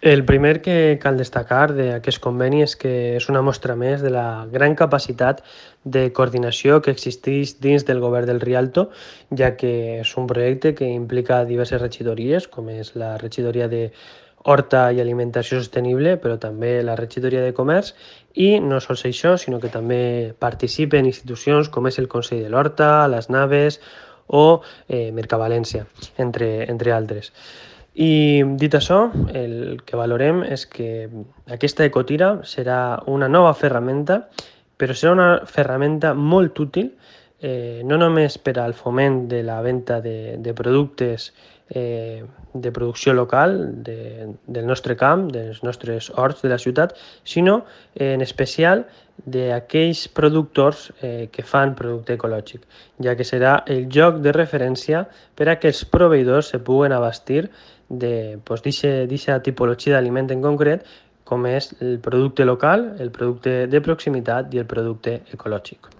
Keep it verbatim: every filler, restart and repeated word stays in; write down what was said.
El primer que cal destacar d'aquest conveni és que és una mostra més de la gran capacitat de coordinació que existeix dins del govern del Rialto, ja que és un projecte que implica diverses regidories, com és la regidoria de Horta i Alimentació Sostenible, però també la regidoria de Comerç, i no sols això, sinó que també participen institucions com és el Consell de l'Horta, les Naves o eh, Mercavalència, entre, entre altres. I dit això, el que valorem és que aquesta ecotira serà una nova ferramenta, però serà una ferramenta molt útil, eh, no només per al foment de la venda de, de productes eh, de producció local de, del nostre camp, dels nostres horts de la ciutat, sinó eh, en especial d'aquells productors eh, que fan producte ecològic, ja que serà el lloc de referència per a que els proveïdors se puguen abastir de pues, d'aquesta tipologia d'aliment en concret, com és el producte local, el producte de proximitat i el producte ecològic.